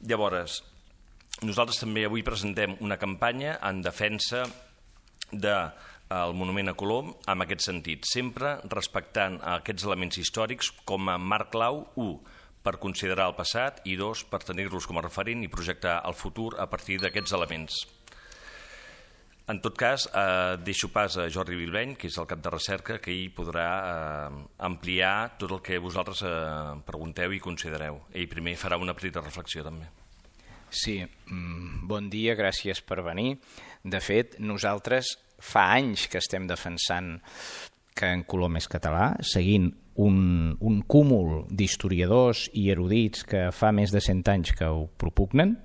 Llavors, nosaltres també avui presentem una campanya en defensa del monument a Colom en aquest sentit, sempre respectant aquests elements històrics com a marc clau, 1, per considerar el passat i 2, per tenir-los com a referent i projectar el futur a partir d'aquests elements. En tot cas, deixo pas a Jordi Bilbeny, que és el cap de recerca, que ell podrà ampliar tot el que vosaltres pregunteu i considereu. Ell primer farà una petita reflexió també. Sí, bon dia, gràcies per venir. De fet, nosaltres fa anys que estem defensant que en Colom és català, seguint un cúmul d'historiadors i erudits que fa més de 100 anys que ho propugnen,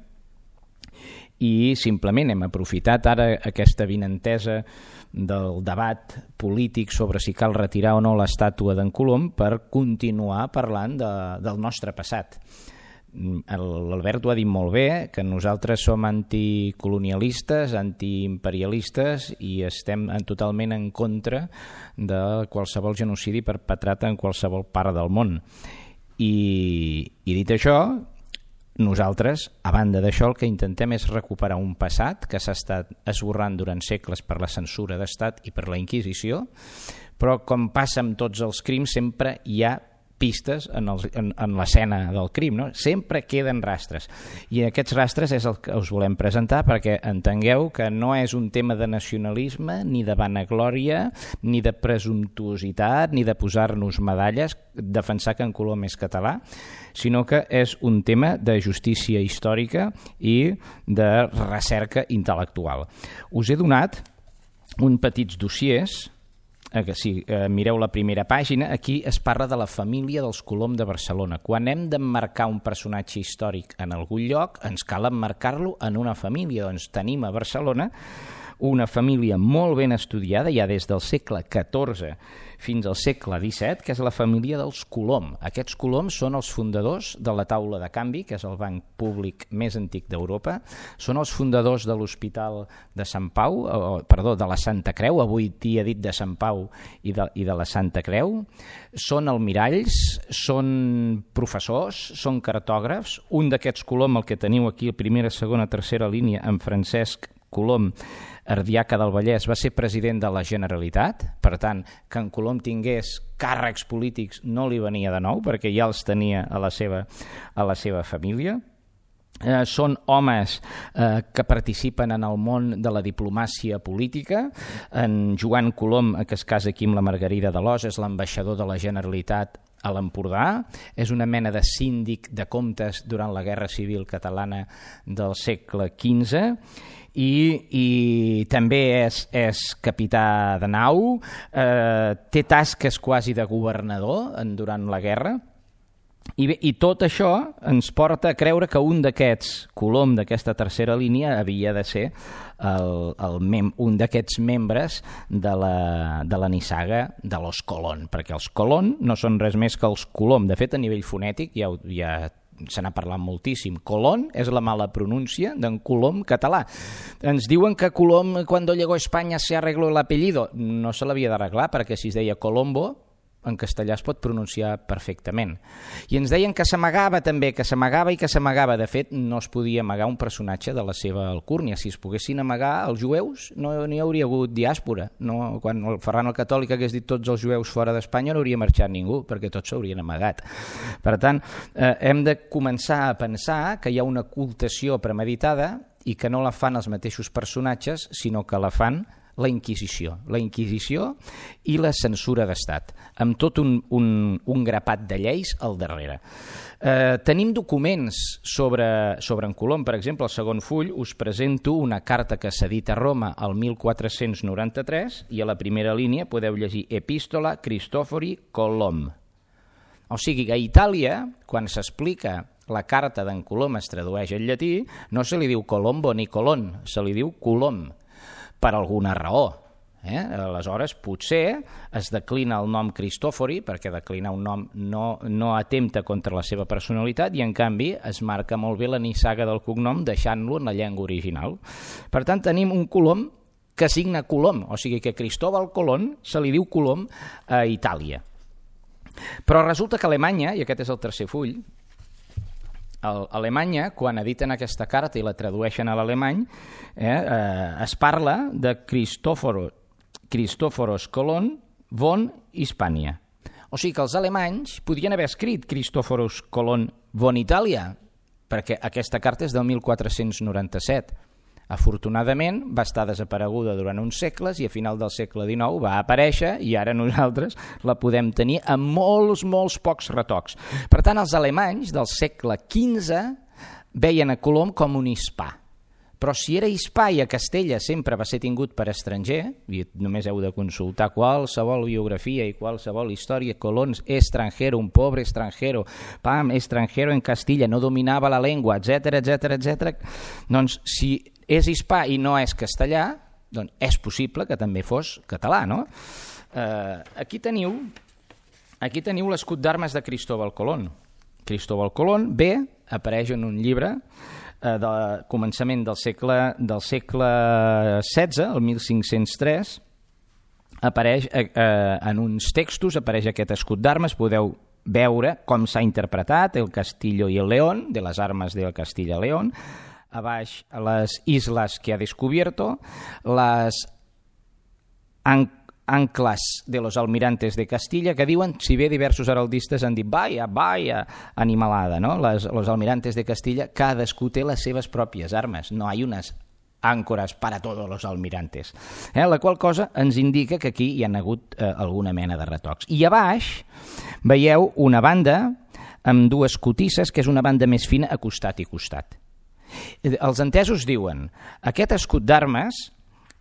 i simplement hem aprofitat ara aquesta vinentesa del debat polític sobre si cal retirar o no l'estàtua d'en Colom per continuar parlant del nostre passat. L'Albert ho ha dit molt bé, que nosaltres som anticolonialistes, antiimperialistes i estem totalment en contra de qualsevol genocidi perpetrat en qualsevol part del món. I dit això, nosaltres, a banda d'això, el que intentem és recuperar un passat que s'ha estat esborrant durant segles per la censura d'estat i per la Inquisició, però com passa amb tots els crims, sempre hi ha pistes en l'escena del crim, no? Sempre queden rastres, i aquests rastres és el que us volem presentar perquè entengueu que no és un tema de nacionalisme, ni de vanaglòria, ni de presumptuositat, ni de posar-nos medalles, defensar que en Colom és català, sinó que és un tema de justícia històrica i de recerca intel·lectual. Us he donat uns petits dossiers. Si mireu la primera pàgina, aquí es parla de la família dels Colom de Barcelona. Quan hem d'emmarcar un personatge històric en algun lloc, ens cal emmarcar-lo en una família. Doncs tenim a Barcelona una família molt ben estudiada, ja des del segle XIV fins al segle XVII, que és la família dels Colom. Aquests Colom són els fundadors de la Taula de Canvi, que és el banc públic més antic d'Europa, són els fundadors de l'Hospital de Sant Pau, de la Santa Creu, avui dia dit de Sant Pau i de la Santa Creu, són almiralls, són professors, són cartògrafs. Un d'aquests Colom, el que teniu aquí a primera, segona, tercera línia, en Francesc Colom, ardiaca del Vallès, va ser president de la Generalitat. Per tant, que en Colom tingués càrrecs polítics no li venia de nou, perquè ja els tenia a la seva família. Són homes que participen en el món de la diplomàcia política. En Joan Colom, que es casa aquí amb la Margarida d'Alòs, és l'ambaixador de la Generalitat a l'Empordà, és una mena de síndic de comptes durant la Guerra Civil Catalana del segle XV, i també és capità de nau, té tasques quasi de governador durant la guerra, i tot això ens porta a creure que un d'aquests Colom d'aquesta tercera línia havia de ser un d'aquests membres de la nissaga de los Colón, perquè els Colón no són res més que els Colom. De fet, a nivell fonètic ja se n'ha parlat moltíssim. Colón és la mala pronúncia d'en Colom català. Ens diuen que Colom, quan llegó a Espanya, se arregló el apellido. No se l'havia d'arreglar, perquè si es deia Colombo, en castellà es pot pronunciar perfectament. I ens deien que s'amagava també, que s'amagava i que s'amagava. De fet, no es podia amagar un personatge de la seva alcúrnia. Si es poguessin amagar els jueus, no n'hi hauria hagut diàspora. No, quan el Ferran el Catòlic hagués dit tots els jueus fora d'Espanya, no hauria marxat ningú, perquè tots s'haurien amagat. Per tant, hem de començar a pensar que hi ha una ocultació premeditada i que no la fan els mateixos personatges, sinó que la fan la Inquisició i la censura d'estat, amb tot un grapat de lleis al darrere. Tenim documents sobre en Colom. Per exemple, al segon full us presento una carta que s'ha dit a Roma el 1493 i a la primera línia podeu llegir Epístola Cristofori Colom. O sigui que a Itàlia, quan s'explica la carta d'en Colom es tradueix al llatí, no se li diu Colombo ni Colón, se li diu Colom, per alguna raó. Aleshores, potser es declina el nom Cristòfori, perquè declinar un nom no atempta contra la seva personalitat, i en canvi es marca molt bé la nissaga del cognom deixant-lo en la llengua original. Per tant, tenim un Colom que signa Colom, o sigui que Cristóbal Colón se li diu Colom a Itàlia. Però resulta que Alemanya, i aquest és el tercer full, Alemanya, quan editen aquesta carta i la tradueixen a l'alemany, es parla de Christophoros Colon von Hispania. O sigui que els alemanys podrien haver escrit Christophoros Colon von Italia, perquè aquesta carta és del 1497. Afortunadament va estar desapareguda durant uns segles i a final del segle XIX va aparèixer i ara nosaltres la podem tenir amb molts pocs retocs. Per tant, els alemanys del segle XV veien a Colom com un hispà. Però si era hispà i a Castella sempre va ser tingut per estranger, i només heu de consultar qualsevol biografia i qualsevol història, Colón extranjero, un pobre extranjero, extranjero en Castilla, no dominava la llengua, etc. Doncs si és hispà i no és castellà, doncs és possible que també fos català, no? Aquí teniu l'escut d'armes de Cristóbal Colón. Cristóbal Colón apareix en un llibre del començament del segle XVI, el 1503, apareix en uns textos, apareix aquest escut d'armes, podeu veure com s'ha interpretat el Castillo y el León, de les armes del Castilla y León, a baix les islas que ha descubierto, les anclas de los almirantes de Castilla, que diuen, si bé diversos heraldistes han dit vaya animalada, no? Los almirantes de Castilla, cadascú té les seves pròpies armes, no hi ha unes àncores para todos los almirantes. La qual cosa ens indica que aquí hi ha hagut alguna mena de retocs. I a baix veieu una banda amb dues cotisses, que és una banda més fina a costat i costat. Els entesos diuen, aquest escut d'armes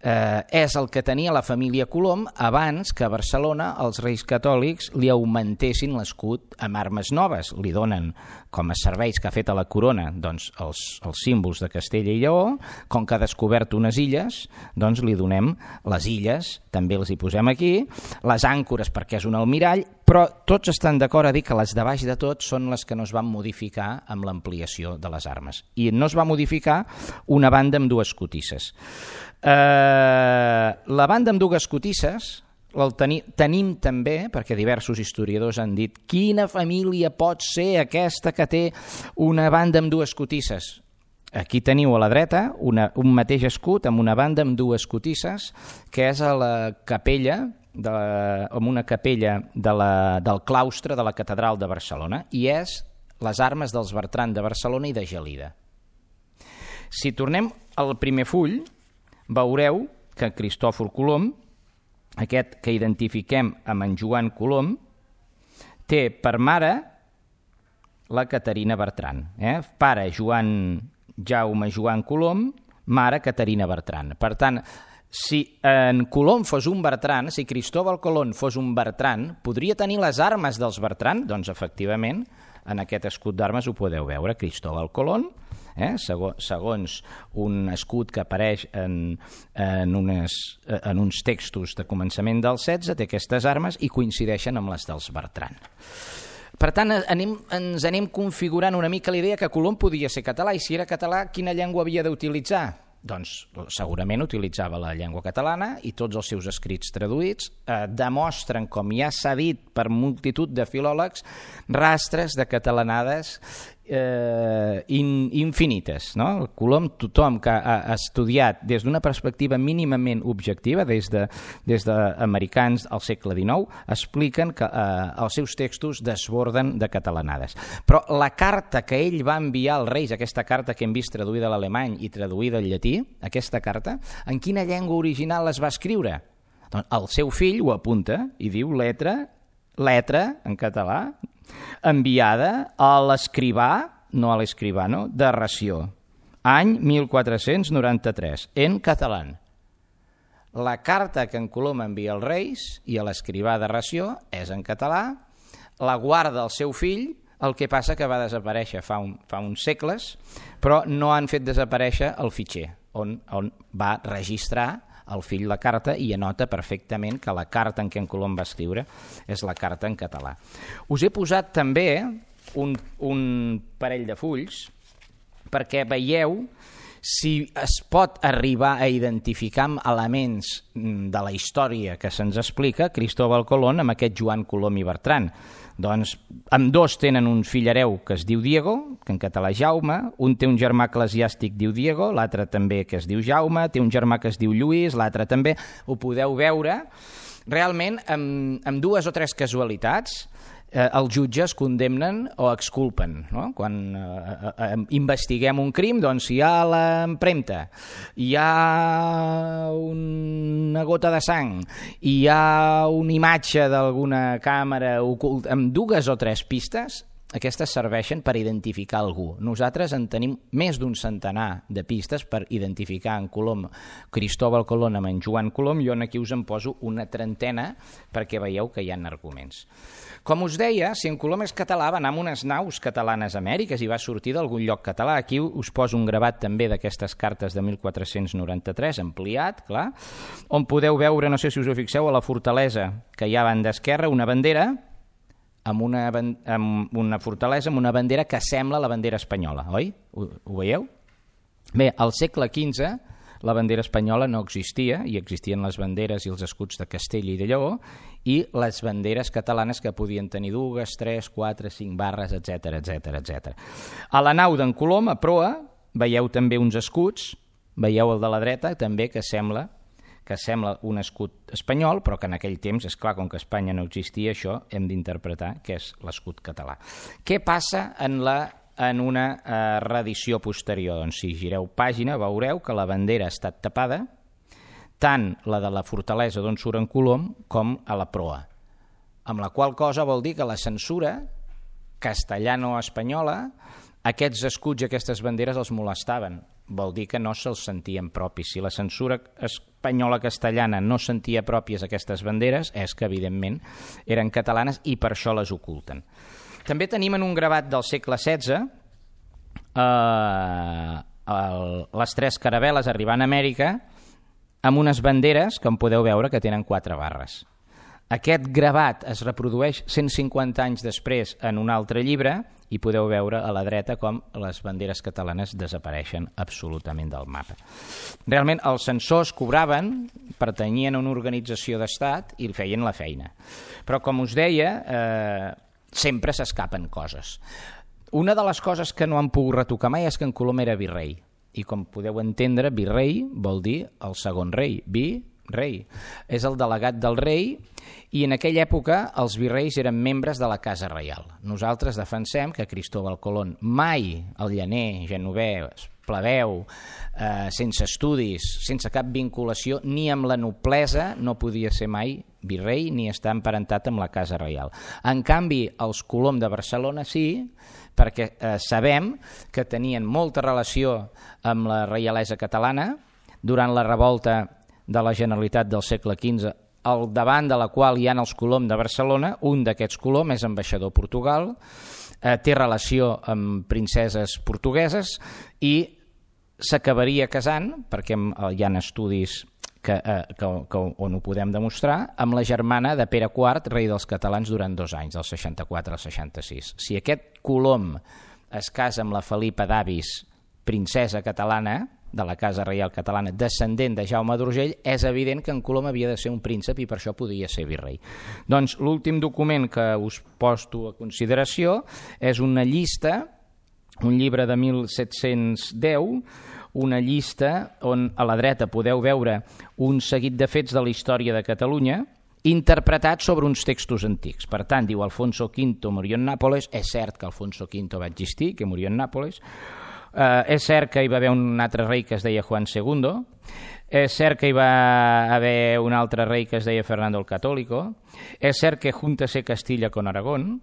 és el que tenia la família Colom abans que a Barcelona els reis catòlics li augmentessin l'escut amb armes noves. Li donen com a serveis que ha fet a la corona doncs, els símbols de Castella i Lleó, com que ha descobert unes illes, doncs li donem les illes, també els hi posem aquí, les àncores perquè és un almirall, però tots estan d'acord a dir que les de baix de tot són les que no es van modificar amb l'ampliació de les armes. I no es va modificar una banda amb dues cotisses. La banda amb dues cotisses tenim també, perquè diversos historiadors han dit quina família pot ser aquesta que té una banda amb dues cotisses. Aquí teniu a la dreta un mateix escut amb una banda amb dues cotisses, que és a la capella, amb una capella del claustre de la catedral de Barcelona, i és les armes dels Bertran de Barcelona i de Gelida. Si tornem al primer full, veureu que Cristòfor Colom, aquest que identifiquem amb en Joan Colom, té per mare la Caterina Bertran. Pare Jaume Joan Colom, mare Caterina Bertran. Per tant, si en Colom fos un Bertran, si Cristóbal Colón fos un Bertran, podria tenir les armes dels Bertran? Doncs efectivament, en aquest escut d'armes ho podeu veure, Cristóbal Colón, segons un escut que apareix en uns textos de començament del XVI, té aquestes armes i coincideixen amb les dels Bertran. Per tant, ens anem configurant una mica la idea que Colom podia ser català, i si era català, quina llengua havia d'utilitzar? Doncs segurament utilitzava la llengua catalana i tots els seus escrits traduïts demostren, com ja s'ha dit per multitud de filòlegs, rastres de catalanades infinites. Colom, tothom que ha estudiat des d'una perspectiva mínimament objectiva, des d'americans al segle XIX, expliquen que els seus textos desborden de catalanades. Però la carta que ell va enviar als reis, aquesta carta que hem vist traduïda a l'alemany i traduïda al llatí, aquesta carta, en quina llengua original es va escriure? Doncs el seu fill ho apunta i diu letra en català, enviada a l'escrivà, no a l'escribano, de Ració, any 1493, en català. La carta que en Colom envia als reis i a l'escrivà de Ració és en català, la guarda el seu fill, el que passa que va desaparèixer fa uns segles, però no han fet desaparèixer el fitxer, on va registrar el fill la carta i anota perfectament que la carta en què en Colom va escriure és la carta en català. Us he posat també un parell de fulls perquè veieu si es pot arribar a identificar amb elements de la història que se'ns explica Cristóbal Colón amb aquest Joan Colom i Bertran. Doncs ambdós tenen un fill hereu que es diu Diego, que en català és Jaume, un té un germà eclesiàstic diu Diego, l'altre també que es diu Jaume, té un germà que es diu Lluís, l'altre també, ho podeu veure. Realment, amb dues o tres casualitats, els jutges condemnen o exculpen. No? Quan investiguem un crim, doncs hi ha l'empremta, hi ha una gota de sang, hi ha una imatge d'alguna càmera oculta, amb dues o tres pistes, aquestes serveixen per identificar algú. Nosaltres en tenim més d'un centenar de pistes per identificar en Colom, Cristóbal Colón amb en Joan Colom. Jo aquí us en poso una trentena perquè veieu que hi ha arguments. Com us deia, si en Colom és català, va anar amb unes naus catalanes a Amèriques i va sortir d'algun lloc català. Aquí us poso un gravat també d'aquestes cartes de 1493, ampliat, clar, on podeu veure, no sé si us ho fixeu, a la fortalesa que hi ha a banda esquerra, una bandera, amb una fortalesa amb una bandera que sembla la bandera espanyola, oi? Ho veieu? Bé, al segle XV la bandera espanyola no existia i existien les banderes i els escuts de Castella i de Lleó i les banderes catalanes que podien tenir 2, 3, 4, 5 barres, etc. A la nau d'en Colom, a proa, veieu també uns escuts, veieu el de la dreta també que sembla un escut espanyol, però que en aquell temps, és clar, com que Espanya no existia, això hem d'interpretar que és l'escut català. Què passa en una reedició posterior? Doncs si gireu pàgina veureu que la bandera ha estat tapada, tant la de la fortalesa d'on surt en Colom com a la proa, amb la qual cosa vol dir que la censura castellano-espanyola, aquests escuts i aquestes banderes els molestaven. Vol dir que no se'ls sentien propis. Si la censura espanyola-castellana no sentia pròpies aquestes banderes, és que, evidentment, eren catalanes i per això les oculten. També tenim en un gravat del segle XVI les tres caravel·les arribant a Amèrica amb unes banderes, com podeu veure, que tenen 4 barres. Aquest gravat es reprodueix 150 anys després en un altre llibre i podeu veure a la dreta com les banderes catalanes desapareixen absolutament del mapa. Realment els censors cobraven, pertanyien a una organització d'estat i feien la feina. Però com us deia, sempre s'escapen coses. Una de les coses que no han pogut retocar mai és que en Colom era virrei. I com podeu entendre, virrei vol dir el segon rei, rei. És el delegat del rei i en aquella època els virreis eren membres de la Casa Reial. Nosaltres defensem que Cristóbal Colón mai, el llaner, genovès, plebeu, sense estudis, sense cap vinculació, ni amb la noblesa no podia ser mai virrei ni estar emparentat amb la Casa Reial. En canvi, els Colom de Barcelona sí, perquè sabem que tenien molta relació amb la reialesa catalana durant la revolta de la Generalitat del segle XV, al davant de la qual hi ha els Colom de Barcelona. Un d'aquests Colom és ambaixador a Portugal, té relació amb princeses portugueses i s'acabaria casant, perquè hi ha estudis on ho podem demostrar, amb la germana de Pere IV, rei dels catalans, durant 2 anys, del 64 al 66. Si aquest Colom es casa amb la Felipa d'Avis, princesa catalana, de la Casa Reial Catalana, descendent de Jaume d'Urgell, és evident que en Colom havia de ser un príncep i per això podia ser virrei. Doncs l'últim document que us posto a consideració és una llista, un llibre de 1710, una llista on a la dreta podeu veure un seguit de fets de la història de Catalunya interpretats sobre uns textos antics. Per tant, diu Alfonso V murió en Nàpoles, és cert que Alfonso V va existir, que murió en Nàpoles. És cert que hi va haver un altre rei que es deia Juan II, és cert que hi va haver un altre rei que es deia Fernando el Católico, és cert que júntase Castilla con Aragón,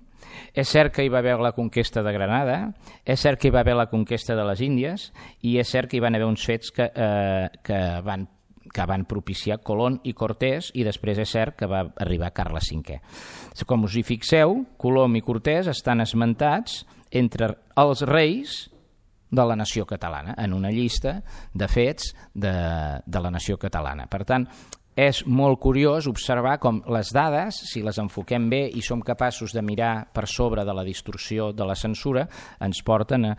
és cert que hi va haver la conquesta de Granada, és cert que hi va haver la conquesta de les Índies i és cert que hi van haver uns fets que van propiciar Colón i Cortés i després és cert que va arribar Carles V. Com us hi fixeu, Colom i Cortés estan esmentats entre els reis de la nació catalana, en una llista de fets de la nació catalana. Per tant, és molt curiós observar com les dades, si les enfoquem bé i som capaços de mirar per sobre de la distorsió de la censura, ens porten a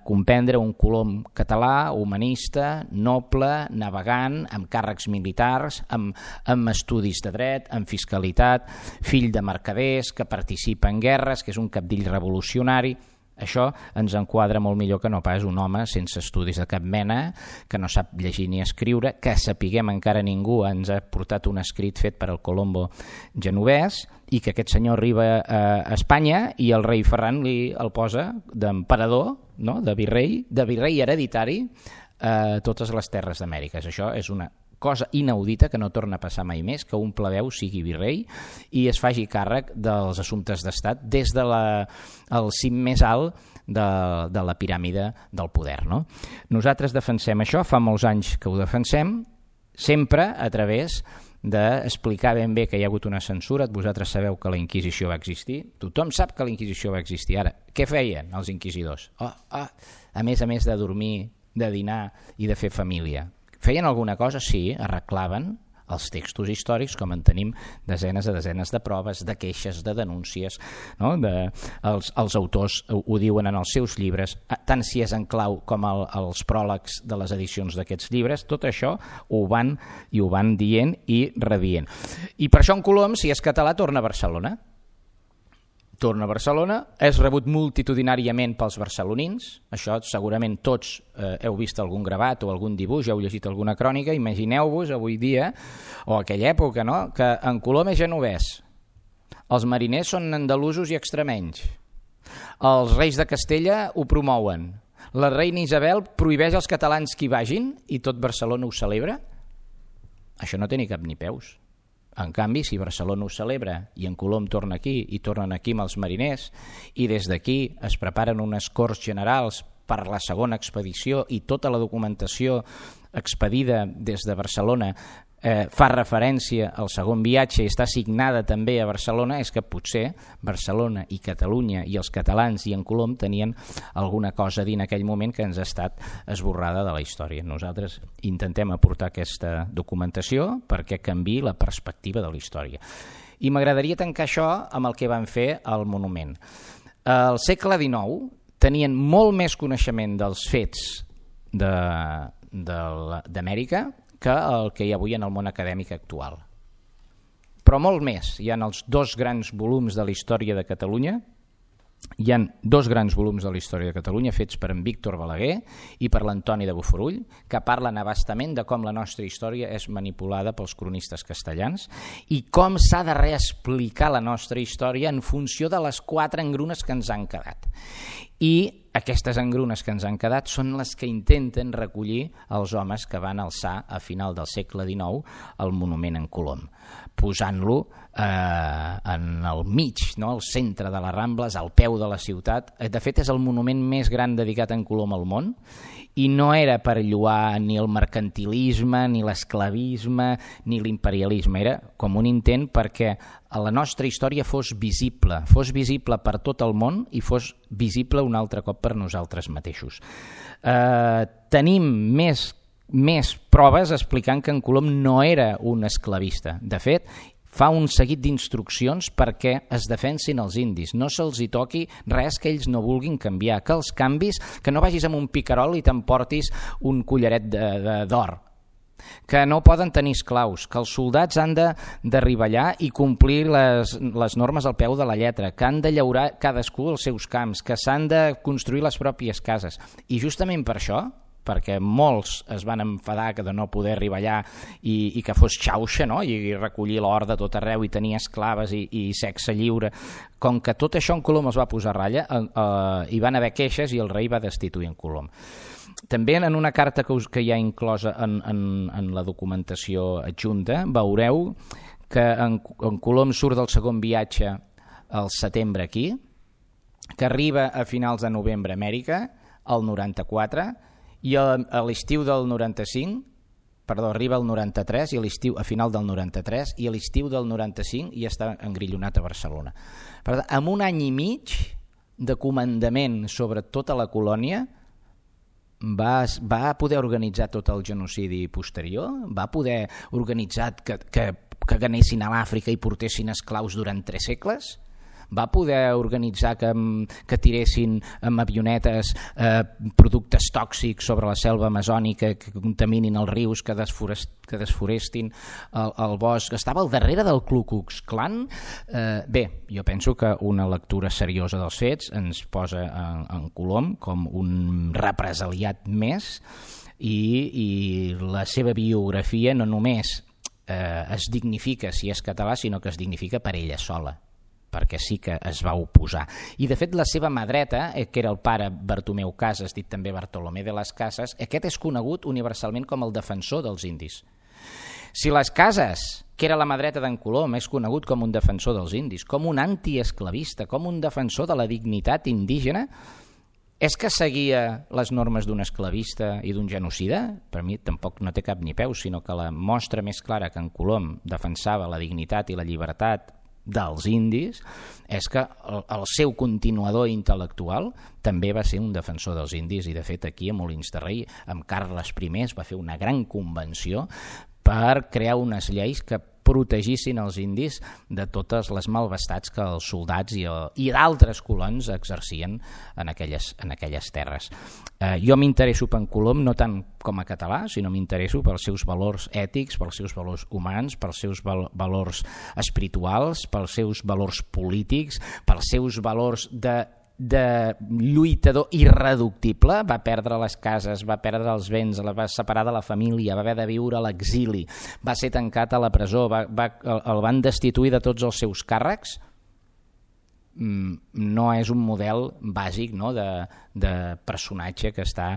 comprendre un Colom català, humanista, noble, navegant, amb càrrecs militars, amb estudis de dret, amb fiscalitat, fill de mercaders, que participa en guerres, que és un cabdill revolucionari. Això ens enquadra molt millor que no pas un home sense estudis de cap mena, que no sap llegir ni escriure, que sapiguem encara ningú ens ha portat un escrit fet per el Colombo genovès, i que aquest senyor arriba a Espanya i el rei Ferran el posa d'emperador, no? de virrei hereditari a totes les terres d'Amèrica. Això és una cosa inaudita que no torna a passar mai més, que un plebeu sigui virrei i es faci càrrec dels assumptes d'estat des del cim més alt de la piràmide del poder. No? Nosaltres defensem això, fa molts anys que ho defensem, sempre a través d'explicar ben bé que hi ha hagut una censura. Vosaltres sabeu que la Inquisició va existir, tothom sap que la Inquisició va existir. Ara, què feien els inquisidors? A més de dormir, de dinar i de fer família. Feien alguna cosa? Sí, arreglaven els textos històrics, com en tenim desenes de proves, de queixes, de denúncies, no? Els autors ho diuen en els seus llibres, tant si és en clau com els pròlegs de les edicions d'aquests llibres, tot això ho van dient i redient. I per això en Colom, si és català, torna a Barcelona. Torna a Barcelona, és rebut multitudinàriament pels barcelonins, això segurament tots heu vist algun gravat o algun dibuix, heu llegit alguna crònica, imagineu-vos avui dia, o aquella època, no? Que en Colom és genovès, els mariners són andalusos i extremenys, els reis de Castella ho promouen, la reina Isabel prohibeix als catalans que hi vagin i tot Barcelona ho celebra. Això no té ni cap ni peus. En canvi, si Barcelona ho celebra i en Colom torna aquí i tornen aquí amb els mariners i des d'aquí es preparen unes corts generals per la segona expedició i tota la documentació expedida des de Barcelona fa referència al segon viatge i està signada també a Barcelona, és que potser Barcelona i Catalunya i els catalans i en Colom tenien alguna cosa a dir en aquell moment que ens ha estat esborrada de la història. Nosaltres intentem aportar aquesta documentació perquè canviï la perspectiva de la història. I m'agradaria tancar això amb el que van fer al monument. Al segle XIX tenien molt més coneixement dels fets d'Amèrica que el que hi ha avui en el món acadèmic actual. Però molt més. Hi ha els dos grans volums de la història de Catalunya, hi ha dos grans volums de la història de Catalunya fets per en Víctor Balaguer i per l'Antoni de Bofarull, que parlen abastament de com la nostra història és manipulada pels cronistes castellans i com s'ha de reexplicar la nostra història en funció de les 4 engrunes que ens han quedat. I aquestes engrunes que ens han quedat són les que intenten recollir els homes que van alçar a final del segle XIX el monument en Colom, posant-lo en el mig, no? Al centre de les Rambles, al peu de la ciutat. De fet, és el monument més gran dedicat en Colom al món i no era per lloar ni el mercantilisme, ni l'esclavisme, ni l'imperialisme. Era com un intent perquè la nostra història fos visible per tot el món i fos visible un altre cop per nosaltres mateixos. Tenim més proves explicant que en Colom no era un esclavista. De fet, fa un seguit d'instruccions perquè es defensin els indis, no se'ls hi toqui res que ells no vulguin canviar, que els canvis, que no vagis amb un picarol i t'emportis un collaret d'or, que no poden tenir esclaus, que els soldats han d'arribar allà i complir les normes al peu de la lletra, que han de llaurar cadascú els seus camps, que s'han de construir les pròpies cases. I justament per això, perquè molts es van enfadar de no poder arribar allà i que fos xauxa, no? I recollir l'or de tot arreu i tenir esclaves i sexe lliure. Com que tot això en Colom es va posar a ratlla, hi van haver queixes i el rei va destituir en Colom. També en una carta que hi ha inclosa en la documentació adjunta veureu que en Colom surt del segon viatge al setembre aquí, que arriba a finals de novembre a Amèrica, al 94, i a l'estiu del 95, arriba al 93 i a final del 93 i a l'estiu del 95 ja està engrillonat a Barcelona. Per tant, amb un any i mig de comandament sobre tota la colònia, va poder organitzar tot el genocidi posterior? Va poder organitzar que anessin a l'Àfrica i portessin esclaus durant 3 segles? Va poder organitzar que tiressin amb avionetes productes tòxics sobre la selva amazònica, que contaminin els rius, que desforestin el bosc? Estava al darrere del Ku Klux Klan. Bé, jo penso que una lectura seriosa dels fets ens posa en Colom com un represaliat més, i la seva biografia no només es dignifica si és català, sinó que es dignifica per ella sola, perquè sí que es va oposar. I de fet la seva mà dreta, que era el pare Bartomeu Casas, dit també Bartolomé de las Casas, aquest és conegut universalment com el defensor dels indis. Si les Casas, que era la mà dreta d'en Colom, és conegut com un defensor dels indis, com un antiesclavista, com un defensor de la dignitat indígena, és que seguia les normes d'un esclavista i d'un genocida? Per mi tampoc no té cap ni peus, sinó que la mostra més clara que en Colom defensava la dignitat i la llibertat dels indis és que el seu continuador intel·lectual també va ser un defensor dels indis, i de fet aquí a Molins de Rei amb Carles I es va fer una gran convenció per crear unes lleis que protegissin els indis de totes les malvestats que els soldats i d'altres colons exercien en aquelles terres. Jo m'interesso per en Colom no tant com a català, sinó m'interesso pels seus valors ètics, pels seus valors humans, pels seus valors espirituals, pels seus valors polítics, pels seus valors de lluitador irreductible. Va perdre les cases, va perdre els béns, la va separar de la família, va haver de viure a l'exili, va ser tancat a la presó, el van destituir de tots els seus càrrecs. No és un model bàsic, no?, de personatge que està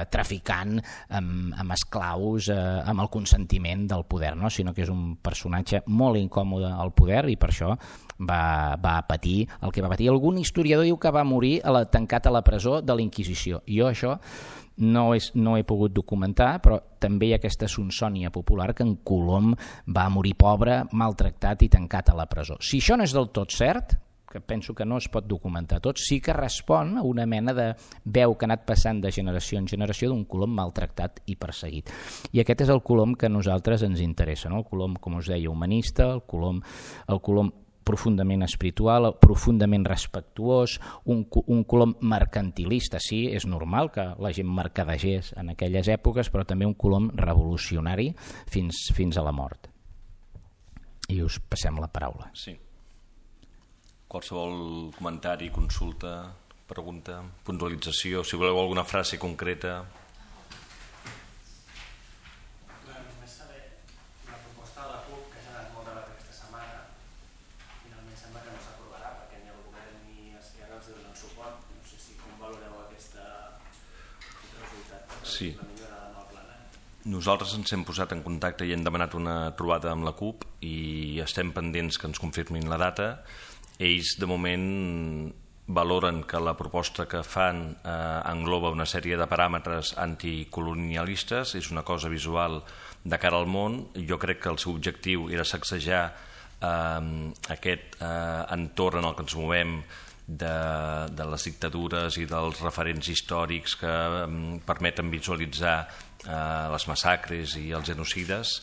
traficant amb esclaus amb el consentiment del poder, no?, sinó que és un personatge molt incòmode al poder, i per això va patir el que va patir. Algun historiador diu que va morir tancat a la presó de la Inquisició. Jo això no he pogut documentar, però també hi ha aquesta sonsònia popular que en Colom va morir pobre, maltractat i tancat a la presó. Si això no és del tot cert, que penso que no es pot documentar tot, sí que respon a una mena de veu que ha anat passant de generació en generació d'un Colom maltractat i perseguit. I aquest és el Colom que a nosaltres ens interessa, no? El Colom, com us deia, humanista, el Colom profundament espiritual, profundament respectuós, un Colom mercantilista. Sí, és normal que la gent mercadegés en aquelles èpoques, però també un Colom revolucionari fins a la mort. I us passem la paraula. Sí. Qualsevol comentari, consulta, pregunta, puntualització, si voleu alguna frase concreta. Només saber la proposta de la CUP, que s'ha anat molt debat aquesta setmana, finalment sembla que no s'aprovarà perquè ni el govern ni Esquerra els donen suport. No sé si com valoreu aquest resultat. Sí. La millora en el plenari. Nosaltres ens hem posat en contacte i hem demanat una trobada amb la CUP i estem pendents que ens confirmin la data. Ells de moment valoren que la proposta que fan engloba una sèrie de paràmetres anticolonialistes, és una cosa visual de cara al món. Jo crec que el seu objectiu era sacsejar aquest entorn en el que ens movem de les dictadures i dels referents històrics que permeten visualitzar les massacres i els genocides,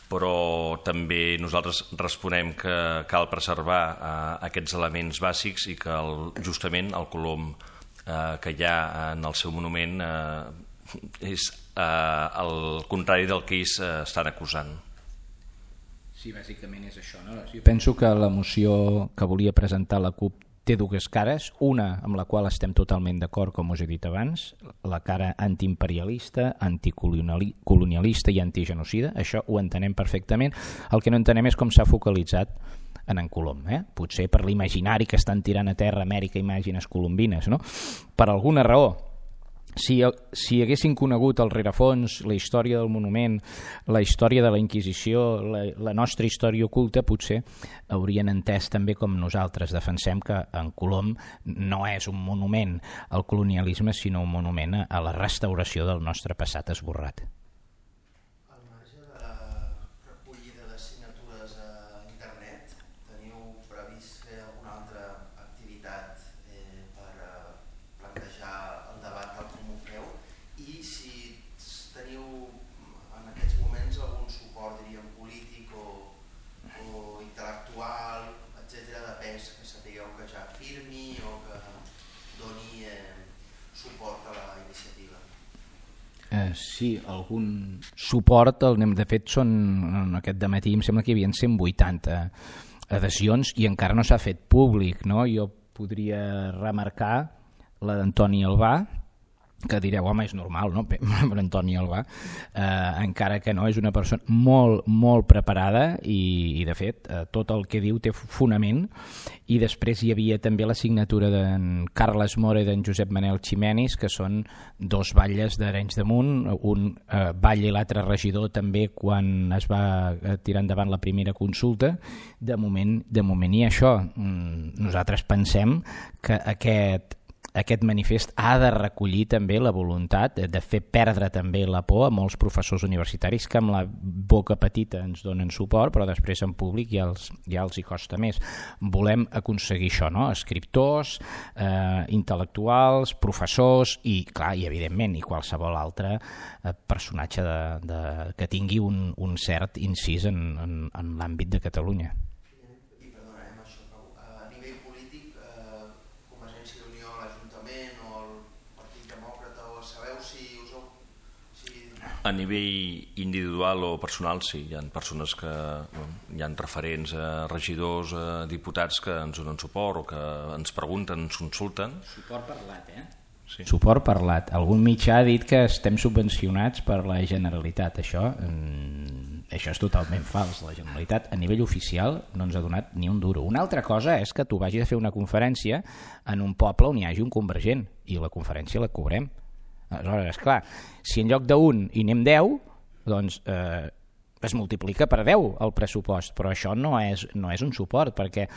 però també nosaltres responem que cal preservar aquests elements bàsics i que justament el Colom que hi ha en el seu monument és el contrari del que ells estan acusant. Sí, bàsicament és això, no? Jo penso que la moció que volia presentar la CUP té dues cares, una amb la qual estem totalment d'acord, com us he dit abans, la cara antiimperialista, anticolonialista i antigenocida. Això ho entenem perfectament. El que no entenem és com s'ha focalitzat en Colom. Potser per l'imaginari que estan tirant a terra Amèrica Imàgines colombines, no? Per alguna raó. Si haguessin conegut el rerefons, la història del monument, la història de la Inquisició, la nostra història oculta, potser haurien entès també com nosaltres defensem que en Colom no és un monument al colonialisme, sinó un monument a la restauració del nostre passat esborrat. Al marge de la recollida de signatures a internet, teniu previst fer alguna altra activitat per plantejar el debat tal com ho feu? I Sí, algun suport. De fet, aquest dematí em sembla que hi havia 180 adhesions i encara no s'ha fet públic, no? Jo podria remarcar la d'Antoni Albà, que direu, home, és normal, no? Per Antoni Albà, encara que no, és una persona molt, molt preparada i de fet, tot el que diu té fonament. I després hi havia també la signatura d'en Carles Mora i d'en Josep Manel Ximenis, que són dos batlles d'Arenys de Munt, un batlle i l'altre regidor també quan es va tirar endavant la primera consulta. De moment i això. Nosaltres pensem que aquest manifest ha de recollir també la voluntat de fer perdre també la por a molts professors universitaris que amb la boca petita ens donen suport, però després en públic ja els hi costa més. Volem aconseguir això, no? Escriptors, intel·lectuals, professors i, clar, i evidentment, i qualsevol altre personatge que tingui un cert incís en l'àmbit de Catalunya. A nivell individual o personal, sí, hi ha persones que hi ha referents, regidors, diputats que ens donen suport o que ens pregunten, ens consulten. Suport parlat, Sí. Suport parlat. Algun mitjà ha dit que estem subvencionats per la Generalitat. Això és totalment fals. La Generalitat a nivell oficial no ens ha donat ni un duro. Una altra cosa és que tu vagis a fer una conferència en un poble on hi hagi un convergent i la conferència la cobrem. Aleshores, esclar, si en lloc d'un hi anem 10, doncs es multiplica per 10 el pressupost, però això no és un suport, perquè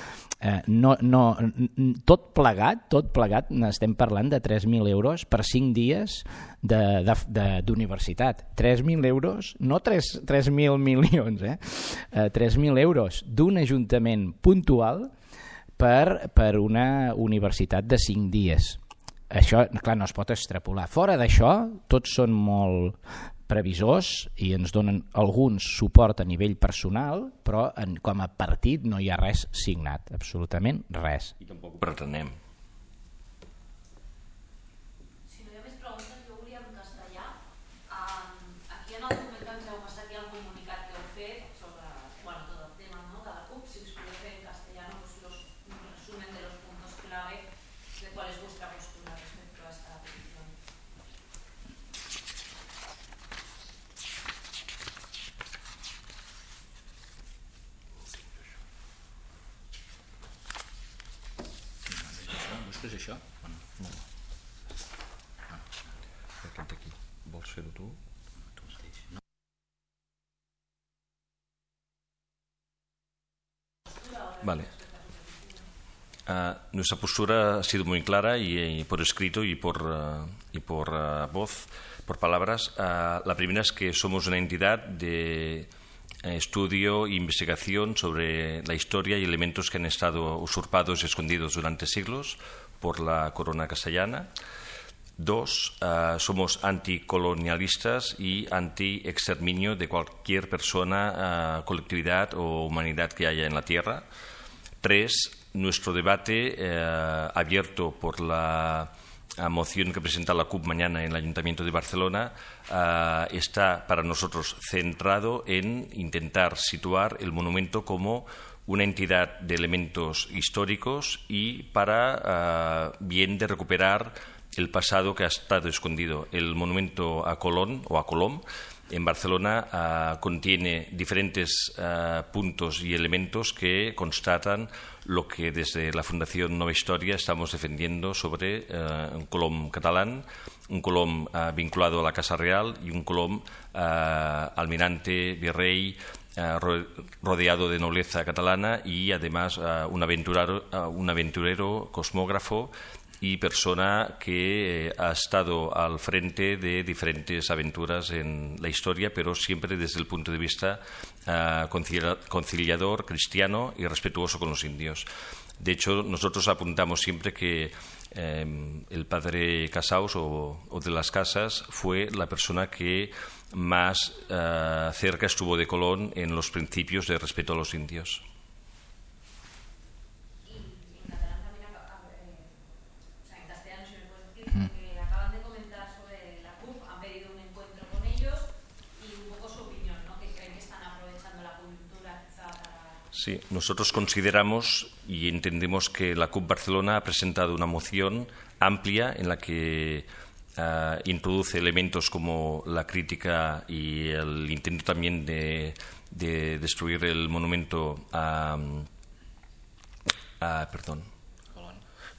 tot plegat estem parlant de 3.000 euros per 5 dies d'universitat. 3.000 euros, no 3.000 milions, 3.000 euros d'un ajuntament puntual per una universitat de 5 dies. Això, clar, no es pot extrapolar. Fora d'això, tots són molt previsors i ens donen alguns suport a nivell personal, però com a partit no hi ha res signat, absolutament res. I tampoc ho pretenem. Si no hi ha més preguntes, jo volia en castellà. Aquí en el document que ens heu passat hi ha el comunicat que heu fet sobre tot el tema de la CUP. Si us podeu fer en castellano un resumen de los puntos clave de cuál es vuestra postura respecto a esta petición. Busques això? No. Aquest aquí. Vols fer-ho tu? Tu mateix. No. Vale. Nuestra postura ha sido muy clara y por escrito y por voz, por palabras. La primera es que somos una entidad de estudio e investigación sobre la historia y elementos que han estado usurpados y escondidos durante siglos por la corona castellana. 2, somos anticolonialistas y anti-exterminio de cualquier persona, colectividad o humanidad que haya en la tierra. 3, nuestro debate abierto por la moción que presenta la CUP mañana en el Ayuntamiento de Barcelona está para nosotros centrado en intentar situar el monumento como una entidad de elementos históricos y para bien de recuperar el pasado que ha estado escondido. El monumento a Colón o a Colom en Barcelona contiene diferentes puntos y elementos que constatan lo que desde la Fundación Nova Historia estamos defendiendo sobre un Colom catalán, un Colom vinculado a la Casa Real y un Colom almirante, virrey, rodeado de nobleza catalana y además un aventurero, cosmógrafo y persona que ha estado al frente de diferentes aventuras en la historia, pero siempre desde el punto de vista conciliador, cristiano y respetuoso con los indios. De hecho, nosotros apuntamos siempre que el padre Casaus o de las Casas fue la persona que más cerca estuvo de Colón en los principios de respeto a los indios. Que acaban de comentar sobre la CUP, han pedido un encuentro Sí, nosotros consideramos y entendemos que la CUP Barcelona ha presentado una moción amplia en la que introduce elementos como la crítica y el intento también de destruir el monumento perdón.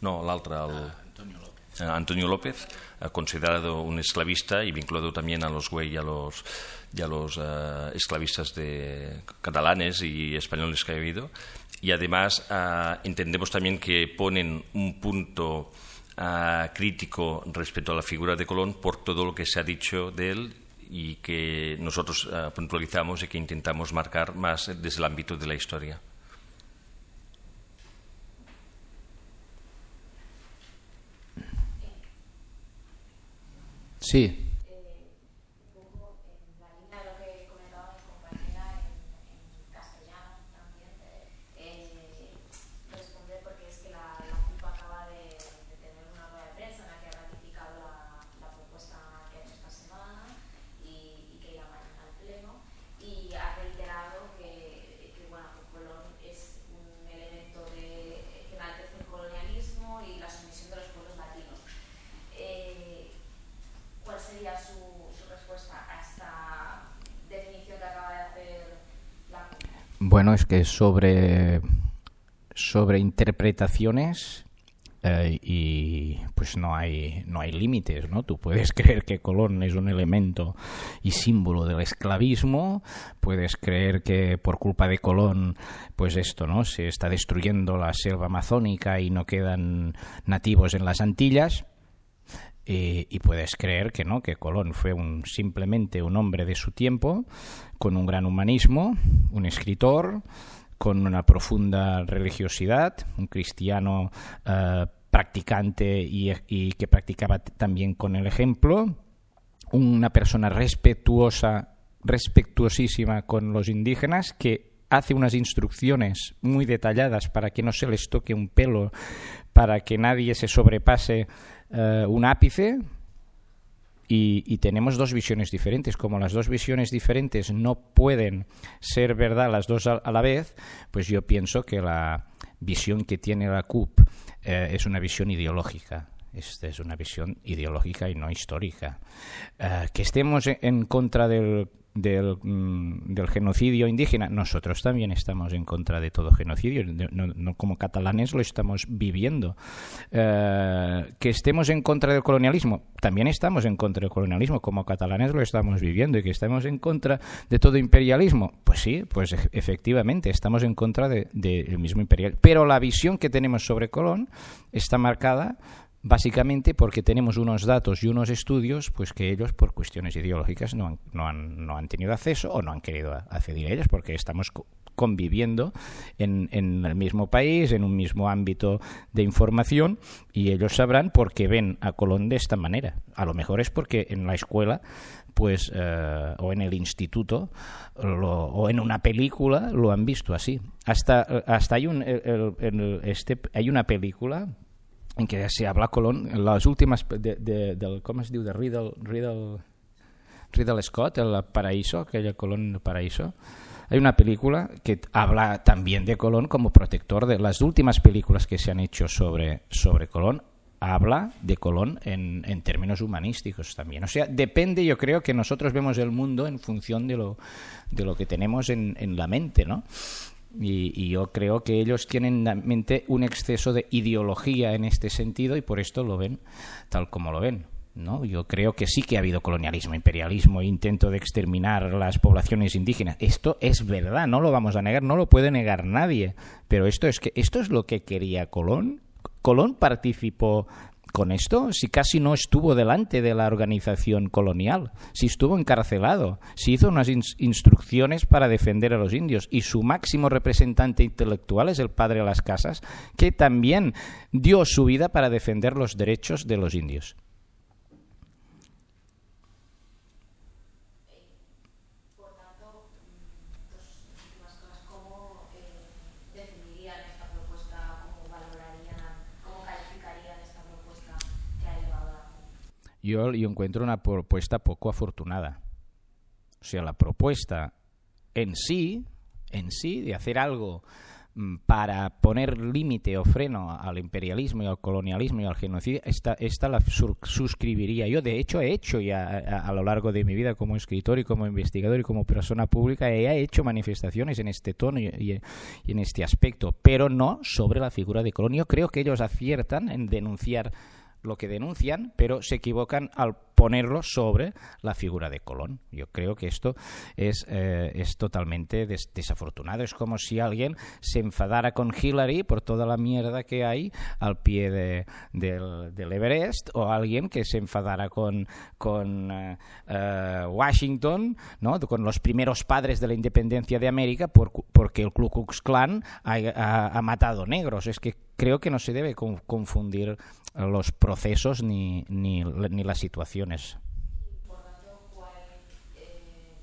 No, l'altre, Antonio López, considerado un esclavista y vinculado también a los güey y a los esclavistas catalanes y españoles que ha habido. Y además entendemos también que ponen un punto crítico respecto a la figura de Colón por todo lo que se ha dicho de él y que nosotros puntualizamos y que intentamos marcar más desde el ámbito de la historia. Sí. Un poco en la línea de lo que comentaba mi compañera en castellano también, responder porque es que la CUP acaba de tener una rueda de prensa en la que ha ratificado la propuesta que ha hecho esta semana y que irá mañana al Pleno, y ha reiterado que Colón es un elemento que enaltece el colonialismo y la sumisión de los pueblos latinos. ¿Cuál sería su respuesta a esta definición que acaba de hacer la CUP? Bueno, es que sobre interpretaciones y pues no hay límites, ¿no? Tú puedes creer que Colón es un elemento y símbolo del esclavismo, puedes creer que por culpa de Colón, pues esto, ¿no? Se está destruyendo la selva amazónica y no quedan nativos en las Antillas. Y puedes creer que no, que Colón fue simplemente un hombre de su tiempo, con un gran humanismo, un escritor, con una profunda religiosidad, un cristiano practicante y que practicaba también con el ejemplo, una persona respetuosísima con los indígenas, que hace unas instrucciones muy detalladas para que no se les toque un pelo, para que nadie se sobrepase un ápice, y tenemos dos visiones diferentes. Como las dos visiones diferentes no pueden ser verdad las dos a la vez, pues yo pienso que la visión que tiene la CUP es una visión ideológica. Esta es una visión ideológica y no histórica. Que estemos en contra del genocidio indígena, nosotros también estamos en contra de todo genocidio, no como catalanes lo estamos viviendo. Que estemos en contra del colonialismo, también estamos en contra del colonialismo, como catalanes lo estamos viviendo. Y que estamos en contra de todo imperialismo, pues sí, pues efectivamente estamos en contra del mismo imperial, pero la visión que tenemos sobre Colón está marcada básicamente porque tenemos unos datos y unos estudios pues que ellos por cuestiones ideológicas no han tenido acceso o no han querido acceder a ellos, porque estamos conviviendo en el mismo país, en un mismo ámbito de información, y ellos sabrán por qué ven a Colón de esta manera. A lo mejor es porque en la escuela pues o en el instituto o en una película lo han visto así. Hasta hay una película en que se habla Colón, en las últimas del ¿cómo es diu? De Riddle Scott, el Paraíso, aquella Colón del Paraíso. Hay una película que habla también de Colón como protector. De las últimas películas que se han hecho sobre Colón, habla de Colón en términos humanísticos también. O sea, depende, yo creo que nosotros vemos el mundo en función de lo que tenemos en la mente, ¿no? Y yo creo que ellos tienen en la mente un exceso de ideología en este sentido y por esto lo ven tal como lo ven, ¿no? Yo creo que sí que ha habido colonialismo, imperialismo, intento de exterminar las poblaciones indígenas. Esto es verdad, no lo vamos a negar, no lo puede negar nadie. Pero esto es lo que quería Colón. Colón participó con esto, si casi no estuvo delante de la organización colonial, si estuvo encarcelado, si hizo unas instrucciones para defender a los indios, y su máximo representante intelectual es el padre Las Casas, que también dio su vida para defender los derechos de los indios. Por tanto, dos últimas cosas. ¿Cómo definirían esta propuesta? ¿Cómo valorarían? ¿Cómo calificarían esta propuesta que ha elevado la CUP? Yo encuentro una propuesta poco afortunada. O sea, la propuesta en sí en sí, de hacer algo para poner límite o freno al imperialismo y al colonialismo y al genocidio, esta la suscribiría yo. De hecho, he hecho ya a lo largo de mi vida como escritor y como investigador y como persona pública, he hecho manifestaciones en este tono y en este aspecto, pero no sobre la figura de Colón. Yo creo que ellos aciertan en denunciar lo que denuncian, pero se equivocan al ponerlo sobre la figura de Colón. Yo creo que esto es totalmente desafortunado. Es como si alguien se enfadara con Hillary por toda la mierda que hay al pie del Everest, o alguien que se enfadara con Washington, ¿no?, con los primeros padres de la independencia de América porque el Ku Klux Klan ha matado negros. Es que creo que no se debe confundir los procesos ni las situaciones. Por tanto, ¿cuál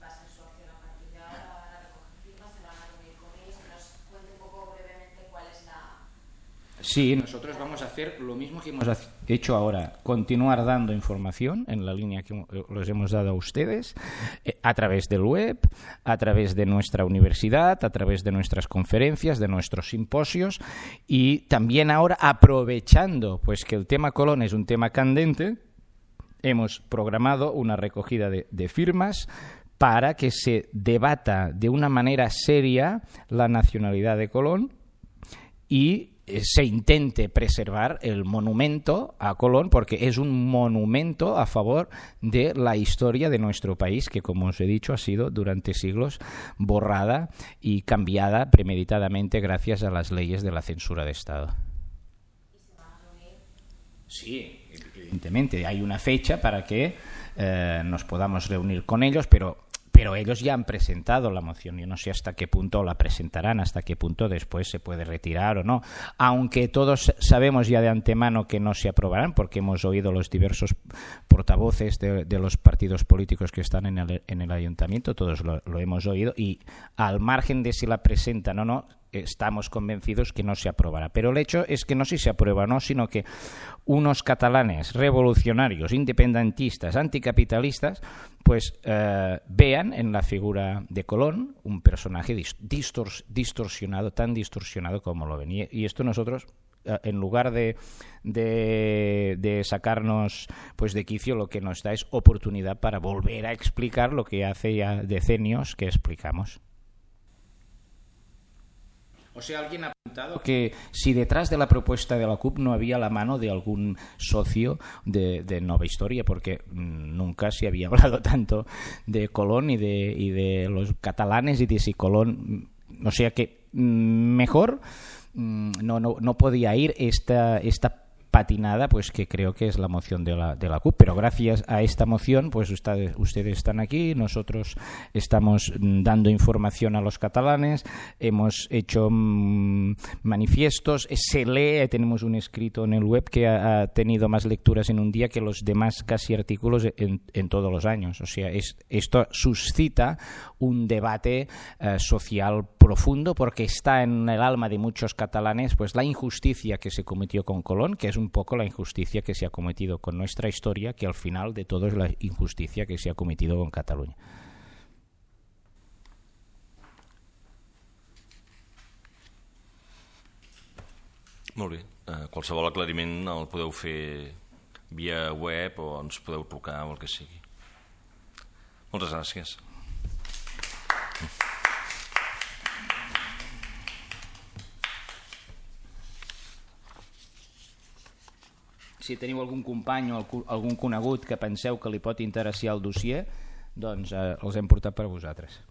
va a ser su acción a partir de ahora? ¿Van a recoger firmas? ¿Se van a reunir con ellos? Que nos cuente un poco brevemente cuál es la... Sí, nosotros vamos a hacer lo mismo que hemos hecho ahora, continuar dando información en la línea que los hemos dado a ustedes, a través del web, a través de nuestra universidad, a través de nuestras conferencias, de nuestros simposios, y también ahora, aprovechando pues que el tema Colón es un tema candente, hemos programado una recogida de firmas para que se debata de una manera seria la nacionalidad de Colón y se intente preservar el monumento a Colón, porque es un monumento a favor de la historia de nuestro país, que, como os he dicho, ha sido durante siglos borrada y cambiada premeditadamente gracias a las leyes de la censura de Estado. ¿Y se van a reunir? Sí, evidentemente hay una fecha para que nos podamos reunir con ellos, pero ellos ya han presentado la moción. Yo no sé hasta qué punto la presentarán, hasta qué punto después se puede retirar o no, aunque todos sabemos ya de antemano que no se aprobarán, porque hemos oído los diversos portavoces de los partidos políticos que están en el ayuntamiento, todos lo hemos oído, y al margen de si la presentan o no, estamos convencidos que no se aprobará. Pero el hecho es que no si se aprueba o no, sino que unos catalanes revolucionarios, independentistas, anticapitalistas, pues vean en la figura de Colón un personaje distorsionado, tan distorsionado como lo ven. Y esto nosotros, en lugar de sacarnos pues de quicio, lo que nos da es oportunidad para volver a explicar lo que hace ya decenios que explicamos. O sea, alguien ha apuntado que si detrás de la propuesta de la CUP no había la mano de algún socio de Nova Historia, porque nunca se había hablado tanto de Colón y de los catalanes y de si Colón... O sea que mejor no podía ir esta patinada, pues que creo que es la moción de la CUP, pero gracias a esta moción pues ustedes están aquí, nosotros estamos dando información a los catalanes, hemos hecho manifiestos, se lee, tenemos un escrito en el web que ha tenido más lecturas en un día que los demás casi artículos en todos los años. O sea, esto suscita un debate social profundo, porque está en el alma de muchos catalanes pues la injusticia que se cometió con Colón, que es un poco la injusticia que se ha cometido con nuestra historia, que al final de todo es la injusticia que se ha cometido con Catalunya. Molt bé. Qualsevol aclariment el podeu fer via web o ens podeu trucar o el que sigui. Moltes gràcies. Si teniu algun company o algun conegut que penseu que li pot interessar el dossier, doncs els hem portat per a vosaltres.